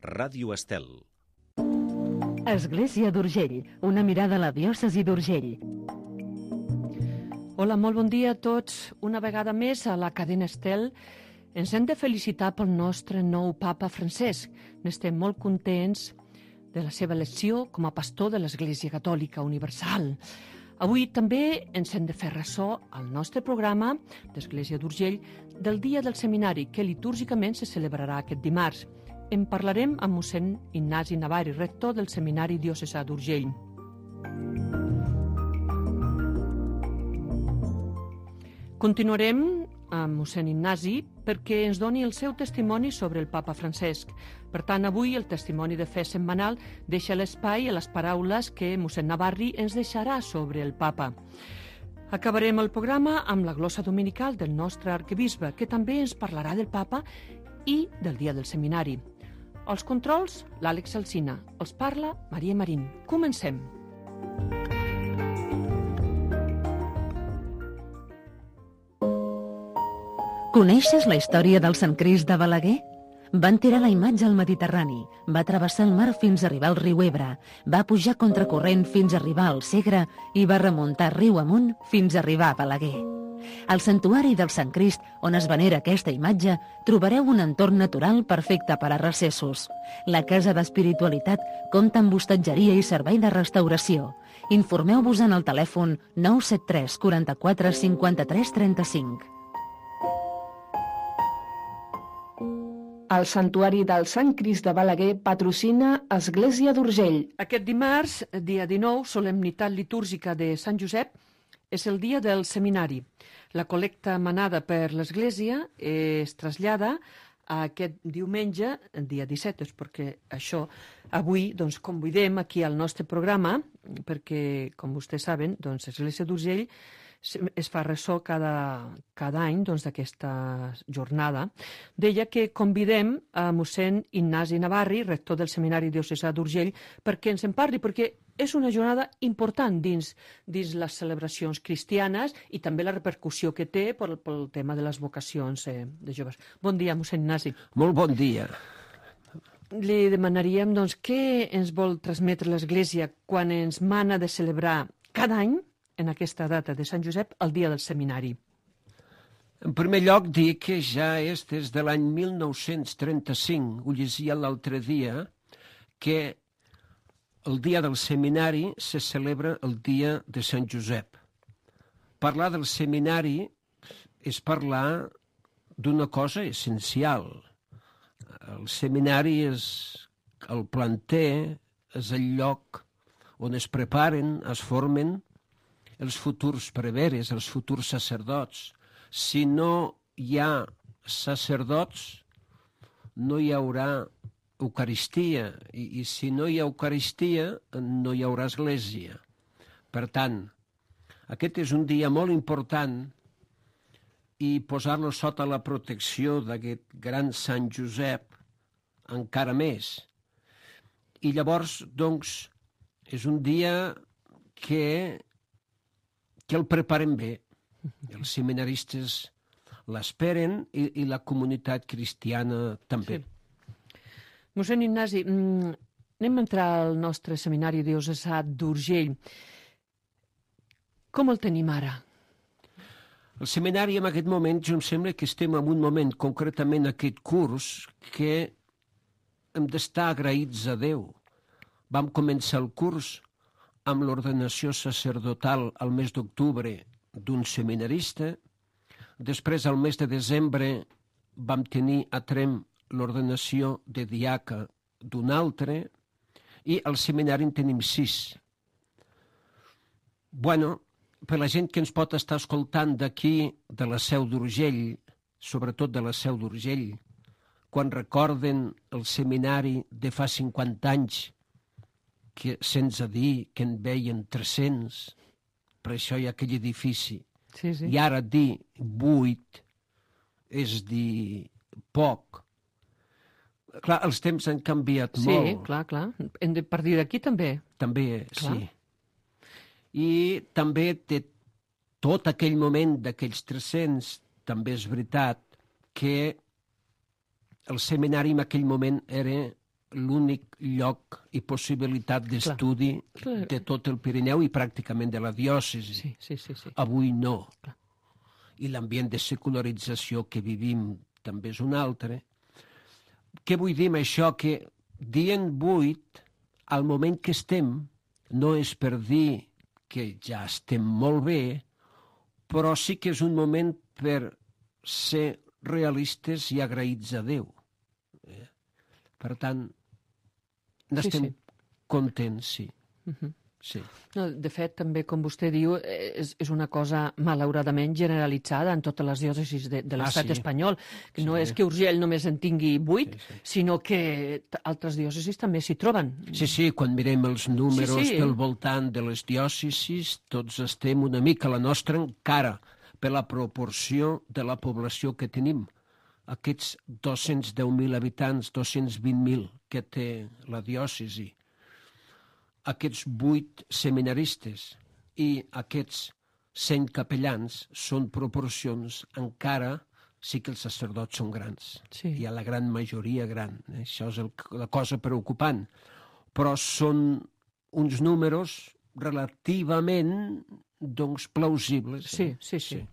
Ràdio Estel. Església d'Urgell, una mirada a la diòcesi d'Urgell. Hola, molt bon dia a tots. Una vegada més a la cadena Estel ens hem de felicitar pel nostre nou papa Francesc. N'estem molt contents de la seva elecció com a pastor de l'Església Catòlica Universal. Avui també ens hem de fer ressò al nostre programa d'Església d'Urgell del Dia del Seminari, que litúrgicament se celebrarà aquest dimarts. En parlarem amb mossèn Ignasi Navarri, rector del Seminari Diocesà d'Urgell. Continuarem amb mossèn Ignasi perquè ens doni el seu testimoni sobre el papa Francesc. Per tant, avui el testimoni de fe setmanal deixa l'espai a les paraules que mossèn Navarri ens deixarà sobre el papa. Acabarem el programa amb la glossa dominical del nostre arquebisbe, que també ens parlarà del papa i del dia del seminari. Els controls, l'Àlex Alsina. Els parla Maria Marín. Comencem. Coneixes la història del Sant Crist de Balaguer? Van tirar la imatge al Mediterrani, va travessar el mar fins a arribar al riu Ebre, va pujar contracorrent fins a arribar al Segre i va remuntar riu amunt fins a arribar a Balaguer. Al santuari del Sant Crist, on es venera aquesta imatge, trobareu un entorn natural perfecte per a recessos. La Casa d'Espiritualitat compta amb hostatgeria i servei de restauració. Informeu-vos en el telèfon 973 44 53 35. El Santuari del Sant Crist de Balaguer patrocina Església d'Urgell. Aquest dimarts, dia 19, solemnitat litúrgica de Sant Josep, és el dia del seminari. La col·lecta manada per l'Església es trasllada a aquest diumenge, dia 17, perquè això avui convidem aquí al nostre programa, perquè, com vostès saben, l'Església d'Urgell es fa ressò cada any d'aquesta jornada. Deia que convidem a mossèn Ignasi Navarri, rector del Seminari Diocesà d'Urgell, perquè ens en parli, perquè és una jornada important dins les celebracions cristianes i també la repercussió que té pel tema de les vocacions de joves. Bon dia, mossèn Ignasi. Molt bon dia. Li demanaríem, què ens vol transmetre l'Església quan ens mana de celebrar cada any, en aquesta data de Sant Josep, el dia del seminari? En primer lloc, dir que ja és des de l'any 1935, ho llegia l'altre dia, que el dia del seminari se celebra el dia de Sant Josep. Parlar del seminari és parlar d'una cosa essencial. El seminari és el planter, és el lloc on es preparen, es formen els futurs preveres, els futurs sacerdots. Si no hi ha sacerdots, no hi haurà Eucaristia, i si no hi ha Eucaristia, no hi haurà Església. Per tant, aquest és un dia molt important i posar-lo sota la protecció d'aquest gran Sant Josep encara més. I llavors, és un dia que el preparen bé. Els seminaristes l'esperen i la comunitat cristiana també. Sí. Mossèn Ignasi, anem a entrar al nostre seminari diocesà d'Urgell. Com el tenim ara? El seminari en aquest moment, jo em sembla que estem en un moment, concretament aquest curs, que hem d'estar agraïts a Déu. Vam començar el curs amb l'ordenació sacerdotal al mes d'octubre d'un seminarista. Després, al mes de desembre, vam tenir a Tremp l'ordenació de diaca d'un altre, i al seminari en tenim 6. Per la gent que ens pot estar escoltant d'aquí, de la Seu d'Urgell, sobretot de la Seu d'Urgell, quan recorden el seminari de fa 50 anys, que sense dir que en veien 300, per això hi ha aquell edifici. Sí. I ara dir 8 és dir poc. Clar, els temps han canviat molt. Sí, clar. Hem de partir d'aquí també. També, clar. Sí. I també de tot aquell moment d'aquells 300, també és veritat que el seminari en aquell moment era l'únic lloc i possibilitat d'estudi de tot el Pirineu i pràcticament de la diòcesi. Sí. Avui no. Clar. I l'ambient de secularització que vivim també és un altre. Què vull dir amb això? Que dient 8, al moment que estem, no és per dir que ja estem molt bé, però sí que és un moment per ser realistes i agraïts a Déu. Per tant, n'estem contents, sí. Sí. No, de fet, també, com vostè diu, és una cosa malauradament generalitzada en totes les diòcesis de l'estat espanyol. Que no és que Urgell només en tingui 8, sinó que altres diòcesis també s'hi troben. Sí, quan mirem els números del voltant de les diòcesis, tots estem una mica a la nostra encara per la proporció de la població que tenim. Aquests 210.000 habitants, 220.000 que té la diòcesi, aquests 8 seminaristes i aquests 100 capellans són proporcions encara, sí que els sacerdots són grans. Sí. Hi ha la gran majoria gran. Això és la cosa preocupant. Però són uns números relativament, doncs, plausibles. Sí.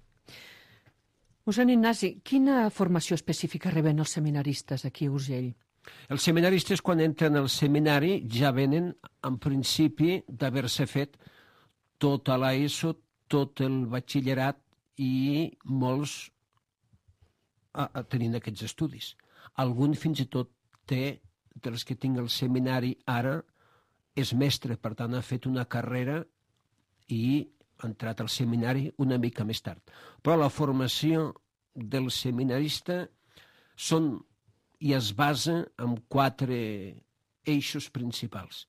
Mossèn Ignasi, quina formació específica reben els seminaristes aquí a Urgell? Els seminaristes, quan entren al seminari, ja venen, en principi, d'haver-se fet tota l'ESO, tot el batxillerat i molts tenint aquests estudis. Algun fins i tot té, dels que tinc al seminari ara, és mestre, per tant ha fet una carrera i ha entrat al seminari una mica més tard. Però la formació del seminarista i es basa en 4 eixos principals.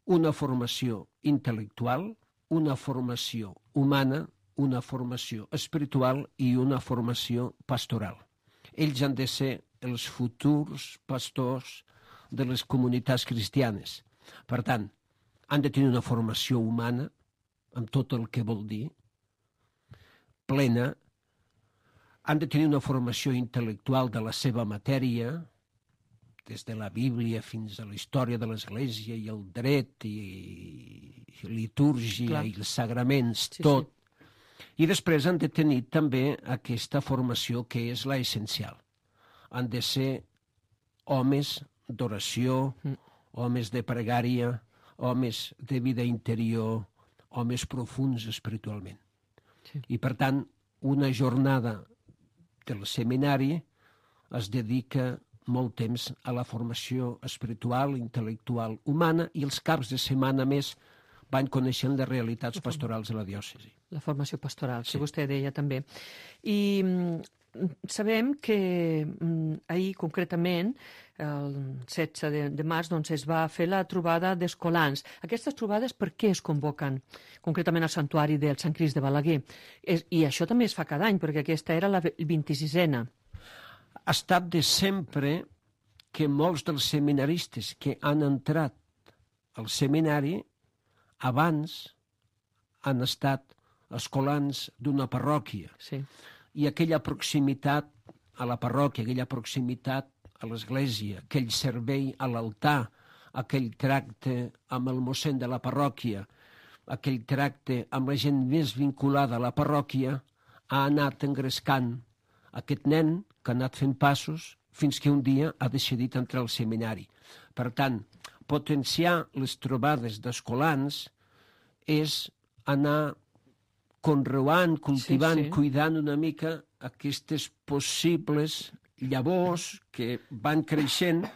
Una formació intel·lectual, una formació humana, una formació espiritual i una formació pastoral. Ells han de ser els futurs pastors de les comunitats cristianes. Per tant, han de tenir una formació humana, amb tot el que vol dir, plena. Han de tenir una formació intel·lectual de la seva matèria, des de la Bíblia fins a la història de l'Església i el dret i litúrgia i els sagraments, tot. I després han de tenir també aquesta formació que és la essencial. Han de ser homes d'oració, homes de pregària, homes de vida interior, homes profuns espiritualment. I per tant, una jornada del seminari es dedica molt temps a la formació espiritual, intel·lectual, humana, i els caps de setmana més van coneixent les realitats pastorals de la diòcesi. La formació pastoral, que vostè deia també. I sabem que ahir, concretament, el 16 de març, doncs, es va fer la trobada d'escolans. Aquestes trobades per què es convoquen? Concretament al santuari del Sant Crist de Balaguer. I això també es fa cada any, perquè aquesta era la 26a. Ha estat de sempre que molts dels seminaristes que han entrat al seminari abans han estat escolans d'una parròquia. Sí. I aquella proximitat a la parròquia, aquella proximitat a l'església, aquell servei a l'altar, aquell tracte amb el mossèn de la parròquia, aquell tracte amb la gent més vinculada a la parròquia, ha anat engrescant aquest nen que ha anat fent passos fins que un dia ha decidit entrar al seminari. Per tant, potenciar les trobades d'escolans és anar conreuant, cultivant, cuidant una mica aquestes possibles llavors que van creixent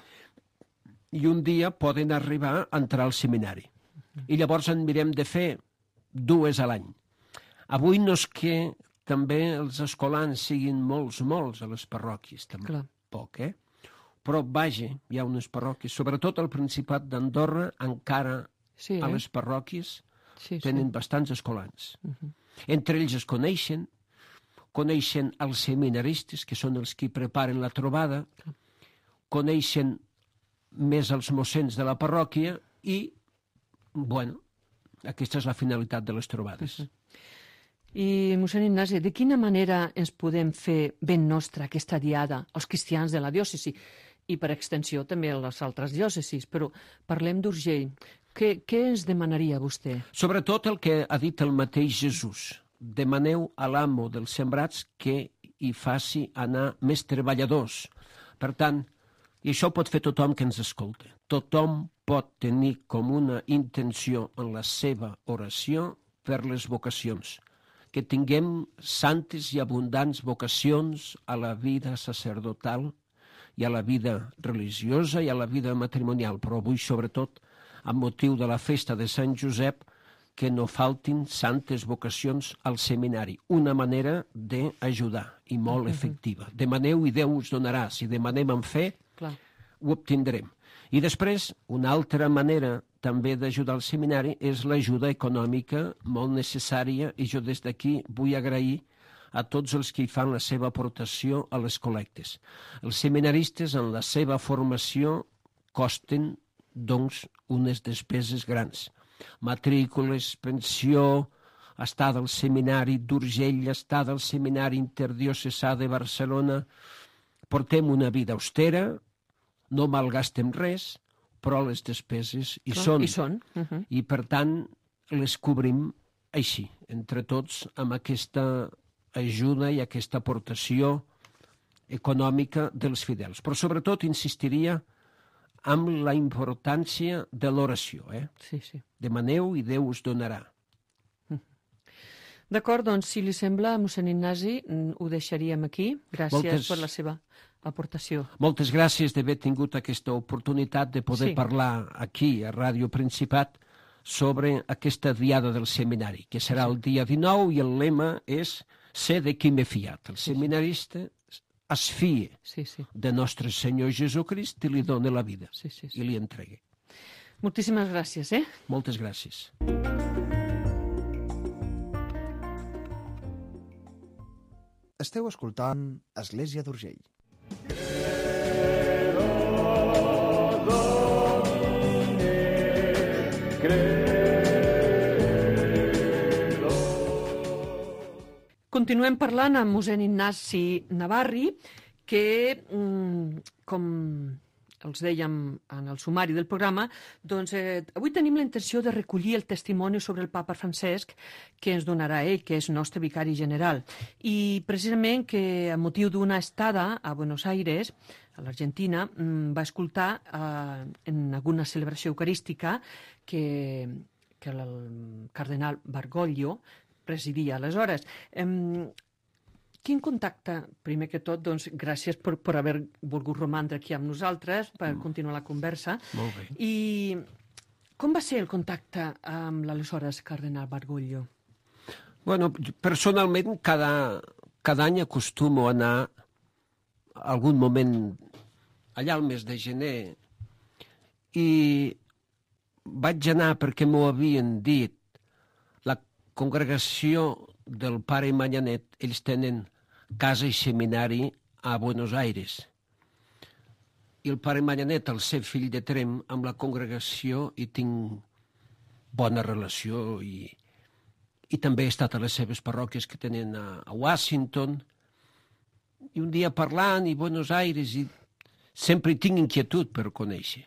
i un dia poden arribar a entrar al seminari. I llavors en mirem de fer 2 a l'any. Avui no és que també els escolans siguin molts a les parròquies, tampoc, Però, vaja, hi ha unes parròquies, sobretot al Principat d'Andorra, encara a les parròquies tenen bastants escolans. Entre ells es coneixen els seminaristes, que són els que preparen la trobada, coneixen més els mossens de la parròquia i, bueno, aquesta és la finalitat de les trobades. I, mossèn Ignasi, de quina manera ens podem fer ben nostra aquesta diada als cristians de la diòcesi? i per extensió també a les altres diòcesis, però parlem d'Urgell. Què ens demanaria vostè? Sobretot el que ha dit el mateix Jesús. Demaneu a l'amo dels sembrats que hi faci anar més treballadors. Per tant, i això ho pot fer tothom que ens escolta. Tothom pot tenir com una intenció en la seva oració per les vocacions. Que tinguem santes i abundants vocacions a la vida sacerdotal i a la vida religiosa i a la vida matrimonial, però avui, sobretot, amb motiu de la festa de Sant Josep, que no faltin santes vocacions al seminari. Una manera d'ajudar i molt efectiva. Demaneu i Déu us donarà. Si demanem amb fe, ho obtindrem. I després, una altra manera també d'ajudar al seminari és l'ajuda econòmica molt necessària, i jo des d'aquí vull agrair a tots els que hi fan la seva aportació a les col·lectes. Els seminaristes en la seva formació costen, doncs, unes despeses grans. Matrícules, pensió, estada al seminari d'Urgell, estada al seminari interdiocesà de Barcelona. Portem una vida austera, no malgastem res, però les despeses hi són. I, per tant, les cobrim així, entre tots, amb aquesta ajuda i aquesta aportació econòmica dels fidels. Però, sobretot, insistiria amb la importància de l'oració. Sí. Demaneu i Déu us donarà. D'acord, doncs, si li sembla, mossèn Ignasi, ho deixaríem aquí. Gràcies per la seva aportació. Moltes gràcies d'haver tingut aquesta oportunitat de poder parlar aquí, a Ràdio Principat, sobre aquesta diada del seminari, que serà el dia 19, i el lema és «Sé de qui m'he fiat». El seminarista es fia de nostre Senyor Jesucrist i li dona la vida, i li entrega. Moltíssimes gràcies, Moltes gràcies. Esteu escoltant Església d'Urgell. Continuem parlant amb mossèn Ignasi Navarri, que, com els dèiem en el sumari del programa, doncs avui tenim la intenció de recollir el testimoni sobre el papa Francesc que ens donarà ell, que és nostre vicari general. I precisament que a motiu d'una estada a Buenos Aires, a l'Argentina, va escoltar en alguna celebració eucarística que el cardenal Bergoglio presidia aleshores. Quin contacte, primer que tot, doncs, gràcies per haver volgut romandre aquí amb nosaltres, per continuar la conversa. Molt bé. I com va ser el contacte amb l'aleshores cardenal Bergoglio? Bueno, personalment, cada any acostumo a anar algun moment allà al mes de gener, i vaig anar perquè m'ho havien dit. La congregació del pare Manyanet, ells tenen casa i seminari a Buenos Aires. I el pare Manyanet, al ser fill de Trem, amb la congregació hi tinc bona relació, i també he estat a les seves parròquies que tenen a Washington. I un dia parlant, i Buenos Aires, i sempre hi tinc inquietud per conèixer.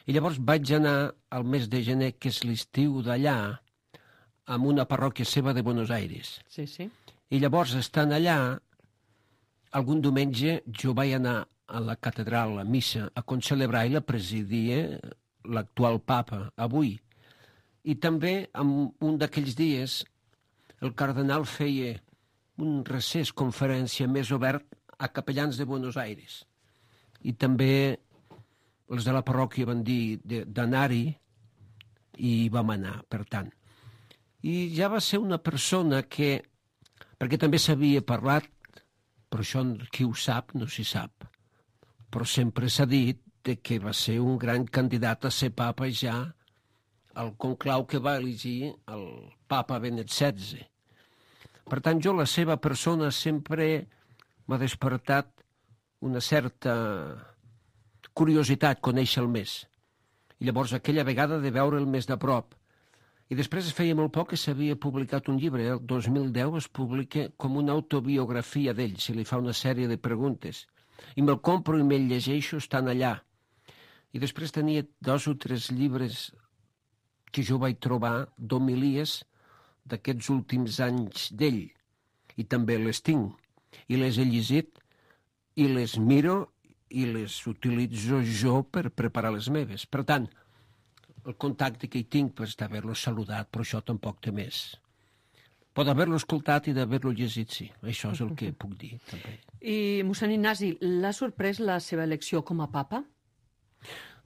I llavors vaig anar al mes de gener, que és l'estiu d'allà, amb una parròquia seva de Buenos Aires. Sí. I llavors, estant allà, algun diumenge jo vaig anar a la catedral, a missa, a concelebrar, i la presidia l'actual papa, avui. I també, en un d'aquells dies, el cardenal feia un recés, conferència més obert a capellans de Buenos Aires. I també els de la parròquia van dir d'anar-hi, i vam anar, per tant. I ja va ser una persona que, perquè també s'havia parlat, però això qui ho sap no s'hi sap, però sempre s'ha dit que va ser un gran candidat a ser papa ja al conclau que va elegir el papa Benet XVI. Per tant, la seva persona sempre m'ha despertat una certa curiositat conèixer-el més. I llavors aquella vegada de veure'l més de prop. I després feia molt poc que s'havia publicat un llibre, el 2010 es publica com una autobiografia d'ell, se li fa una sèrie de preguntes. i me'l compro i me'l llegeixo, estan allà. I després tenia 2 o 3 llibres que jo vaig trobar d'homilies d'aquests últims anys d'ell, i també les tinc, i les he llegit, i les miro, i les utilitzo jo per preparar les meves. Per tant, el contacte que hi tinc és d'haver-lo saludat, però això tampoc té més. Pot haver-lo escoltat i d'haver-lo llegit, sí. Això és el que puc dir, també. I, mossèn Ignasi, l'ha sorprès la seva elecció com a papa?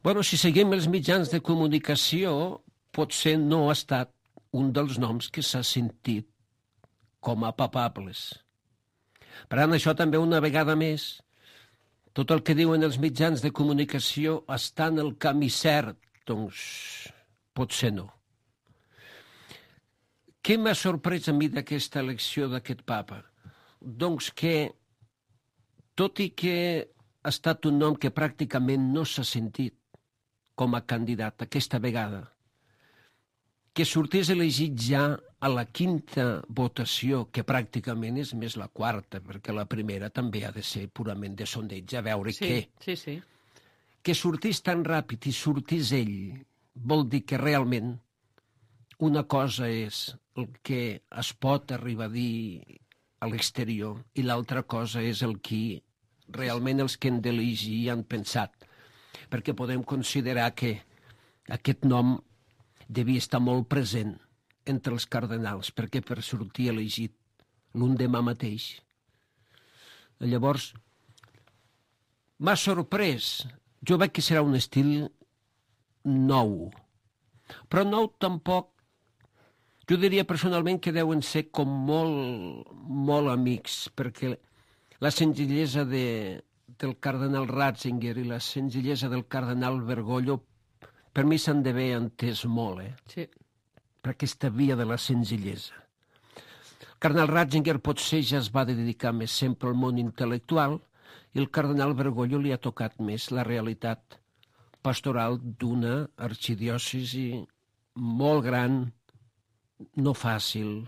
Bueno, si seguim els mitjans de comunicació, potser no ha estat un dels noms que s'ha sentit com a papables. Per tant, això també una vegada més, tot el que diuen els mitjans de comunicació està en el camí cert, doncs potser no. Què m'ha sorprès a mi d'aquesta elecció d'aquest papa? Doncs que, tot i que ha estat un nom que pràcticament no s'ha sentit com a candidat aquesta vegada, que sortís elegit ja a la 5ª votació, que pràcticament és més la 4ª, perquè la primera també ha de ser purament de sondeig, a veure què. Sí. Que sortís tan ràpid i sortís ell, vol dir que realment una cosa és el que es pot arribar a dir a l'exterior i l'altra cosa és el que realment els que han d'elegir han pensat. Perquè podem considerar que aquest nom devia estar molt present entre els cardenals, perquè per sortir elegit l'un demà mateix. Llavors, m'ha sorprès. Jo veig que serà un estil nou, però nou tampoc. Jo diria personalment que deuen ser com molt amics, perquè la senzillesa del cardenal Ratzinger i la senzillesa del cardenal Bergoglio per mi s'han d'haver entès molt, Sí. per aquesta via de la senzillesa. El cardenal Ratzinger potser ja es va dedicar més sempre al món intel·lectual i el cardenal Bergoglio li ha tocat més la realitat pastoral d'una arxidiòcesi molt gran, no fàcil,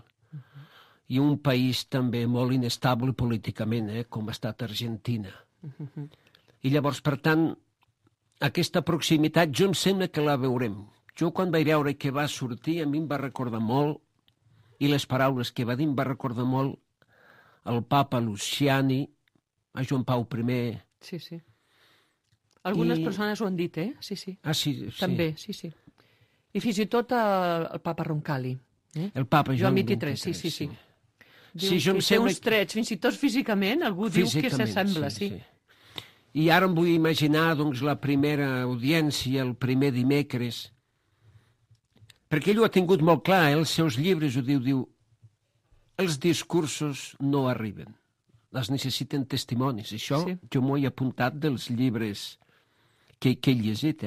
i un país també molt inestable políticament, com ha estat Argentina. I llavors, per tant, aquesta proximitat jo em sembla que la veurem. Jo quan vaig veure que va sortir a mi em va recordar molt, i les paraules que va dir em va recordar molt el papa Luciani, a Joan Pau I. Sí. Algunes persones ho han dit, Sí. Ah, sí. També, sí. I fins i tot el papa Roncalli. El papa Joan 23, sí. Diu Sí, jo em que té sembla uns trets, fins i tot físicament, algú diu que s'assembla, sí. I ara em vull imaginar doncs, la primera audiència, el primer dimecres, perquè ell ho ha tingut molt clar, els seus llibres ho diu, els discursos no arriben, es necessiten testimonis. Això jo m'ho he apuntat dels llibres que he llegit.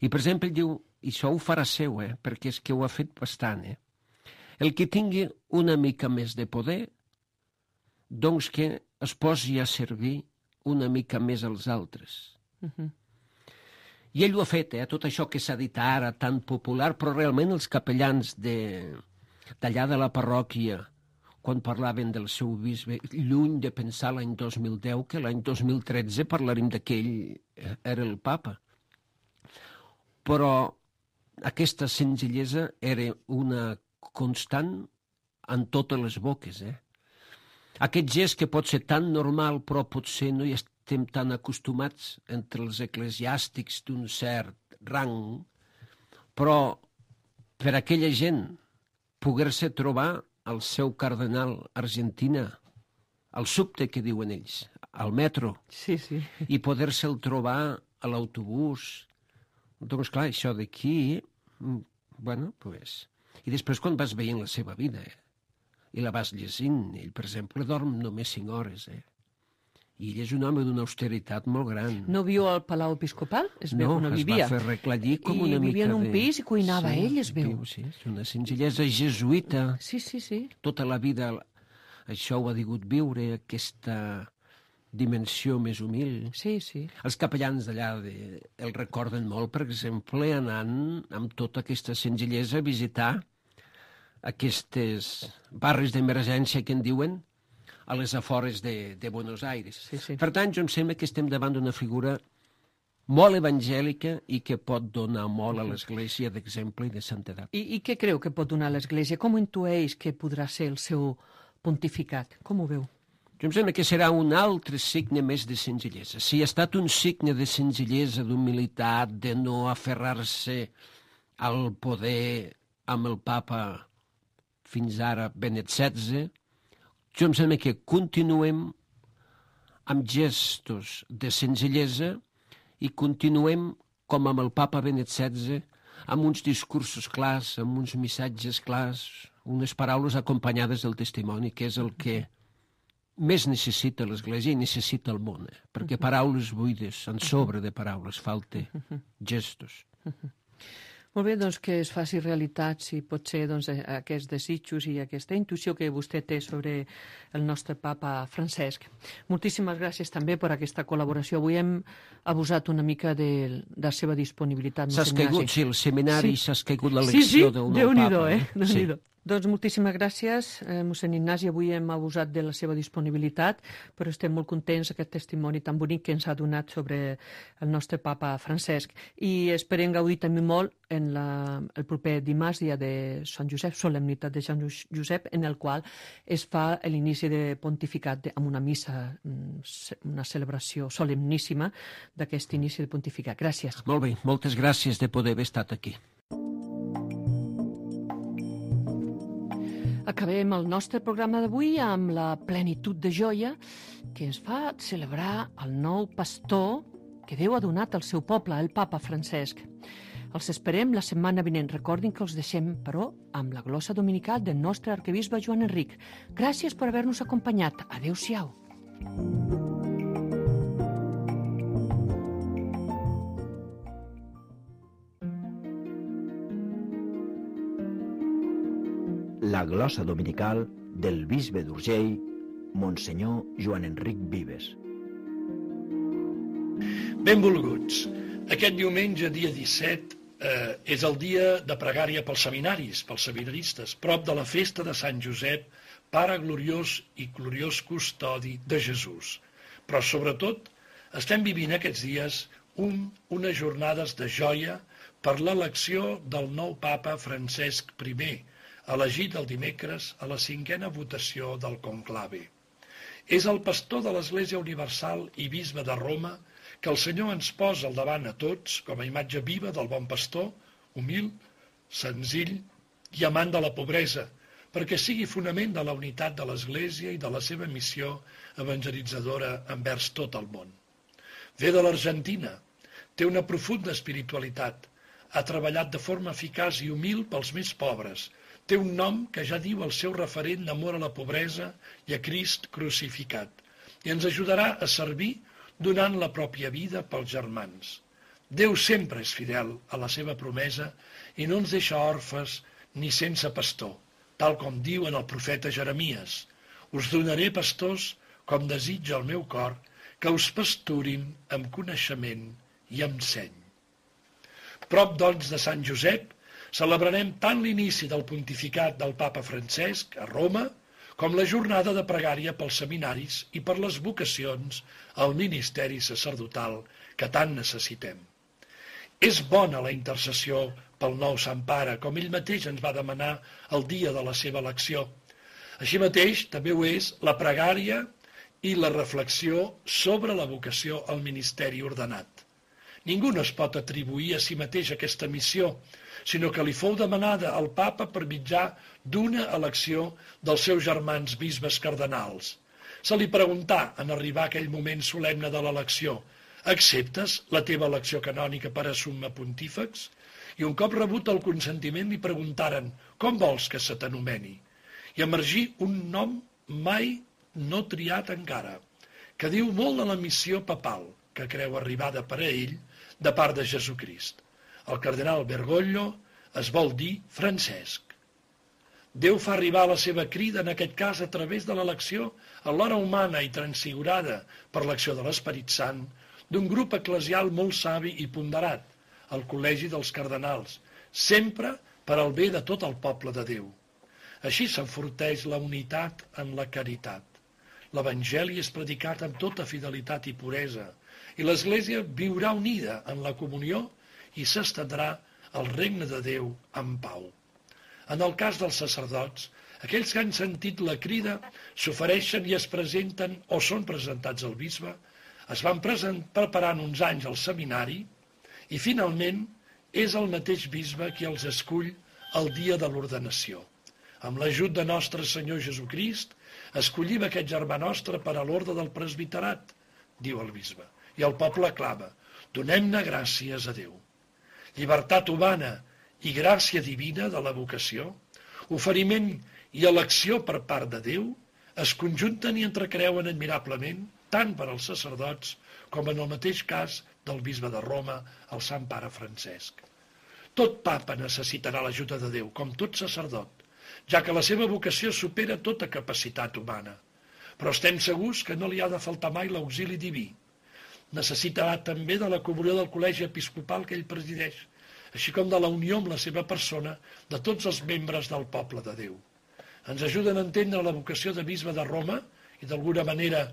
I, per exemple, ell diu, i això ho farà seu, perquè és que ho ha fet bastant, el que tingui una mica més de poder, doncs que es posi a servir una mica més als altres. I ell ho ha fet, tot això que s'ha dit ara, tan popular, però realment els capellans d'allà de la parròquia, quan parlaven del seu bisbe, lluny de pensar l'any 2010, que l'any 2013 parlarem que ell era el papa. Però aquesta senzillesa era una constant en totes les boques. Aquest gest que pot ser tan normal, però potser no hi estem tan acostumats entre els eclesiàstics d'un cert rang, però per aquella gent poder-se trobar el seu cardenal a Argentina, al subte que diuen ells, al metro, i poder-se'l trobar a l'autobús. Doncs clar, això d'aquí, bueno, pues... I després quan vas veient la seva vida, i la vas llegint, ell, per exemple, dorm només 5 hores, i ell és un home d'una austeritat molt gran. No viu al Palau Episcopal? Es veu que no vivia. No, es va fer arreglar com una mica de... I vivia en un pis i cuinava ell, es veu. Sí, és una senzillesa jesuïta. Sí. Tota la vida això ho ha digut viure, aquesta dimensió més humil. Sí. Els capellans d'allà el recorden molt, per exemple, anant amb tota aquesta senzillesa a visitar aquestes barris d'emergència que en diuen, a les afores de Buenos Aires. Sí. Per tant, jo em sembla que estem davant d'una figura molt evangèlica i que pot donar molt a l'Església d'exemple i de santedat. I què creu que pot donar l'Església? Com intueix que podrà ser el seu pontificat? Com ho veu? Jo em sembla que serà un altre signe més de senzillesa. Si ha estat un signe de senzillesa, d'humilitat, de no aferrar-se al poder amb el papa fins ara Benet XVI, jo em sembla que continuem amb gestos de senzillesa i continuem com amb el papa Benet XVI, amb uns discursos clars, amb uns missatges clars, unes paraules acompanyades del testimoni, que és el que més necessita l'Església i necessita el món, perquè paraules buides, en sobre de paraules, falta gestos. Molt bé, doncs que es faci realitat, si pot ser, doncs, aquests desitjos i aquesta intuïció que vostè té sobre el nostre papa Francesc. Moltíssimes gràcies també per aquesta col·laboració. Avui hem abusat una mica de la seva disponibilitat. S'ha caigut, sí, el seminari, s'ha caigut l'elecció del nou papa. Déu-n'hi-do. Doncs moltíssimes gràcies, mossèn Ignasi. Avui hem abusat de la seva disponibilitat, però estem molt contents d'aquest testimoni tan bonic que ens ha donat sobre el nostre papa Francesc. I esperem gaudir també molt en el proper dimarts, dia de Sant Josep, solemnitat de Sant Josep, en el qual es fa l'inici de pontificat amb una missa, una celebració solemníssima d'aquest inici de pontificat. Gràcies. Molt bé, moltes gràcies de poder haver estat aquí. Acabem el nostre programa d'avui amb la plenitud de joia que ens fa celebrar el nou pastor que Déu ha donat al seu poble, el papa Francesc. Els esperem la setmana vinent. Recordin que els deixem, però, amb la glossa dominical del nostre arquebisbe Joan Enric. Gràcies per haver-nos acompanyat. Adéu-siau. La glossa dominical del bisbe d'Urgell, Monsenyor Joan Enric Vives. Benvolguts. Aquest diumenge, dia 17, és el dia de pregària pels seminaris, pels seminaristes, prop de la festa de Sant Josep, pare gloriós i gloriós custodi de Jesús. Però, sobretot, estem vivint aquests dies unes jornades de joia per l'elecció del nou papa Francesc I, elegit el dimecres a la 5a votació del conclave. És el pastor de l'Església Universal i bisbe de Roma que el Senyor ens posa al davant a tots com a imatge viva del bon pastor, humil, senzill i amant de la pobresa, perquè sigui fonament de la unitat de l'Església i de la seva missió evangelitzadora envers tot el món. Ve de l'Argentina, té una profunda espiritualitat, ha treballat de forma eficaç i humil pels més pobres, té un nom que ja diu el seu referent d'amor a la pobresa i a Crist crucificat, i ens ajudarà a servir donant la pròpia vida pels germans. Déu sempre és fidel a la seva promesa i no ens deixa orfes ni sense pastor, tal com diu en el profeta Jeremies: us donaré pastors com desitja el meu cor, que us pasturin amb coneixement i amb seny. Prop, doncs, de Sant Josep, celebrarem tant l'inici del pontificat del papa Francesc a Roma com la jornada de pregària pels seminaris i per les vocacions al ministeri sacerdotal que tant necessitem. És bona la intercessió pel nou Sant Pare, com ell mateix ens va demanar el dia de la seva elecció. Així mateix també ho és la pregària i la reflexió sobre la vocació al ministeri ordenat. Ningú no es pot atribuir a si mateix aquesta missió, sinó que li fou demanada al papa per mitjà d'una elecció dels seus germans bisbes cardenals. Se li preguntà, en arribar a aquell moment solemne de l'elecció: acceptes la teva elecció canònica per a summa pontífex? I un cop rebut el consentiment li preguntaren: com vols que se t'anomeni? I emergí un nom mai no triat encara, que diu molt de la missió papal que creu arribada per a ell de part de Jesucrist. El cardenal Bergoglio es vol dir Francesc. Déu fa arribar la seva crida, en aquest cas a través de l'elecció, alhora humana i transfigurada per l'acció de l'Esperit Sant, d'un grup eclesial molt savi i ponderat, el Col·legi dels Cardenals, sempre per al bé de tot el poble de Déu. Així s'enforteix la unitat en la caritat. l'Evangeli és predicat amb tota fidelitat i puresa, i l'Església viurà unida en la comunió i s'estendrà el regne de Déu en pau. En el cas dels sacerdots, aquells que han sentit la crida s'ofereixen i es presenten o són presentats al bisbe, es van preparant uns anys al seminari i finalment és el mateix bisbe qui els escull el dia de l'ordenació. Amb l'ajut de nostre Senyor Jesucrist, escollim aquest germà nostre per a l'ordre del presbiterat, diu el bisbe, i el poble clama, donem-ne gràcies a Déu. Llibertat humana i gràcia divina de la vocació, oferiment i elecció per part de Déu, es conjunten i entrecreuen admirablement tant per als sacerdots com en el mateix cas del bisbe de Roma, el Sant Pare Francesc. Tot papa necessitarà l'ajuda de Déu, com tot sacerdot, ja que la seva vocació supera tota capacitat humana. Però estem segurs que no li ha de faltar mai l'auxili diví. Necessitarà també de la comunió del col·legi episcopal que ell presideix, així com de la unió amb la seva persona de tots els membres del poble de Déu. Ens ajuden a entendre la vocació de bisbe de Roma i, d'alguna manera,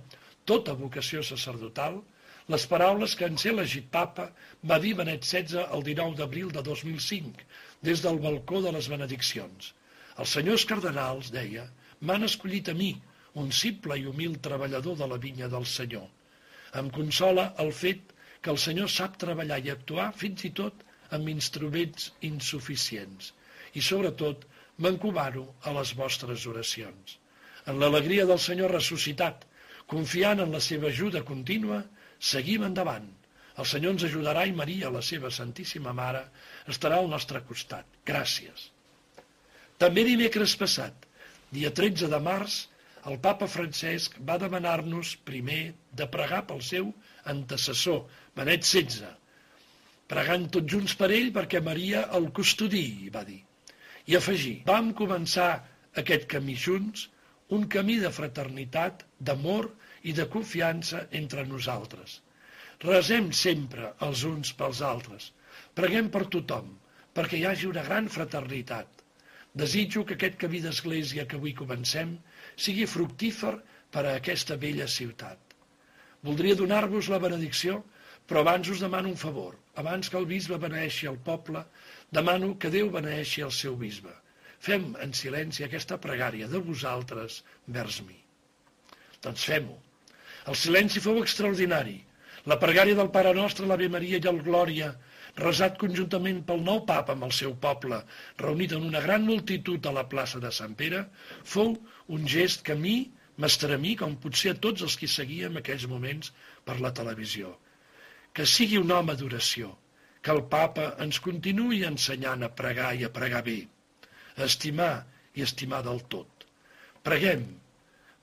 tota vocació sacerdotal, les paraules que en ser elegit papa va dir Benet XVI el 19 d'abril de 2005, des del balcó de les benediccions. Els senyors cardenals, deia, m'han escollit a mi, un simple i humil treballador de la vinya del Senyor. Em consola el fet que el Senyor sap treballar i actuar fins i tot amb instruments insuficients. I, sobretot, m'encomano a les vostres oracions. En l'alegria del Senyor ressuscitat, confiant en la seva ajuda contínua, seguim endavant. El Senyor ens ajudarà i Maria, la seva Santíssima Mare, estarà al nostre costat. Gràcies. També dimecres passat, dia 13 de març, el papa Francesc va demanar-nos primer de pregar pel seu antecessor, Benet XVI, pregant tots junts per ell perquè Maria el custodiï, va dir. I afegir, vam començar aquest camí junts, un camí de fraternitat, d'amor i de confiança entre nosaltres. Resem sempre els uns pels altres. Preguem per tothom, perquè hi hagi una gran fraternitat. Desitjo que aquest camí d'església que avui comencem sigui fructífer per a aquesta bella ciutat. Voldria donar-vos la benedicció, però abans us demano un favor. Abans que el bisbe beneeixi el poble, demano que Déu beneeixi el seu bisbe. Fem en silenci aquesta pregària de vosaltres vers mi. Doncs fem-ho. El silenci fou extraordinari. La pregària del Pare Nostre, l'Ave Maria i el Glòria, resat conjuntament pel nou papa amb el seu poble, reunit en una gran multitud a la plaça de Sant Pere, fou un gest que a mi m'estremí, com potser a tots els que seguíem aquells moments per la televisió. Que sigui un home d'oració, que el papa ens continuï ensenyant a pregar i a pregar bé, a estimar i estimar del tot. Preguem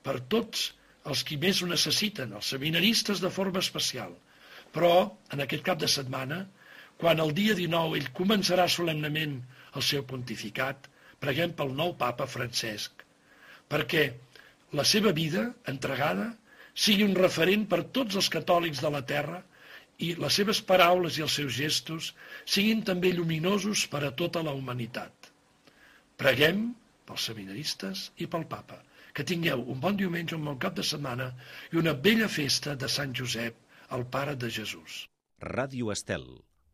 per tots els qui més ho necessiten, els seminaristes de forma especial, però en aquest cap de setmana, quan el dia 19 ell començarà solemnement el seu pontificat, preguem pel nou papa Francesc, perquè la seva vida entregada sigui un referent per tots els catòlics de la terra i les seves paraules i els seus gestos siguin també lluminosos per a tota la humanitat. Preguem pels seminaristes i pel papa. Que tingueu un bon diumenge, un bon cap de setmana i una bella festa de Sant Josep, el Pare de Jesús. Ràdio Estel.